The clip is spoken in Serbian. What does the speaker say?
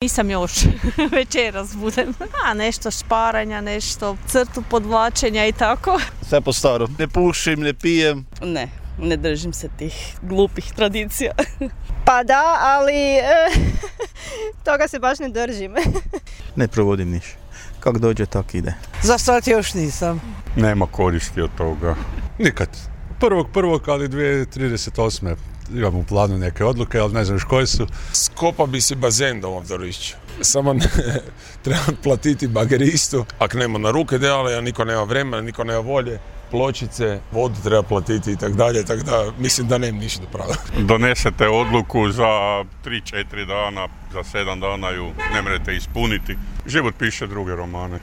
Nisam još, večeras budem. Nešto šparanja, nešto crtu podvlačenja i tako. Sve po starom. Ne pušim, ne pijem. Ne držim se tih glupih tradicija. Pa da, ali toga se baš ne držim. Ne provodim niš. Kak dođe, tak ide. Za sad još nisam. Nema koristi od toga. Nikad. 1.1. ali 2038. Imam u planu neke odluke, ali ne znam još koje su. Skopa bi si bazen doma u Dvorišću. Samo treba platiti bageristu. Ako nema na ruke dela, a niko nema vremena, niko nema volje. Pločice, vodu treba platiti i tako dalje, tako da mislim da nema ništa pravo. Donesete odluku za 3-4 dana, za 7 dana ju ne možete ispuniti. Život piše druge romane.